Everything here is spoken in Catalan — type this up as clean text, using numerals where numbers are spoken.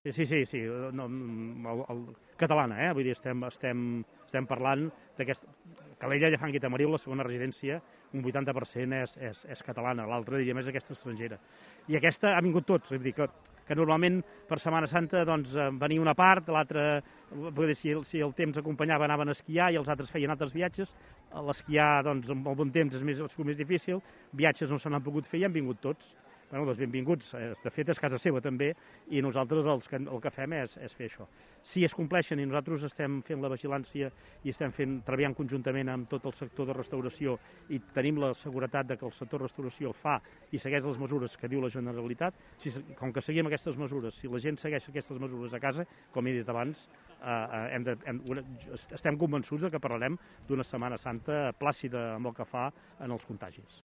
Sí, no, catalana, vull dir, estem parlant d'aquesta... Calella, Llafranc i Tamariu, la segona residència, un 80% és catalana, l'altra diria més aquesta estrangera. I aquesta ha vingut tots, és a dir, que normalment per Setmana Santa doncs, venia una part, l'altra, si el temps acompanyava, anaven a esquiar i els altres feien altres viatges. L'esquiar, doncs, amb el bon temps és més difícil, viatges no se n'han pogut fer i han vingut tots. Bueno, doncs benvinguts. De fet, és casa seva també, i nosaltres el que fem és fer això. Si es compleixen i nosaltres estem fent la vigilància i estem treballant conjuntament amb tot el sector de restauració i tenim la seguretat de que el sector de restauració fa i segueix les mesures que diu la Generalitat, com que seguim aquestes mesures, si la gent segueix aquestes mesures a casa, com he dit abans, estem convençuts que parlarem d'una Setmana Santa plàcida amb el que fa en els contagis.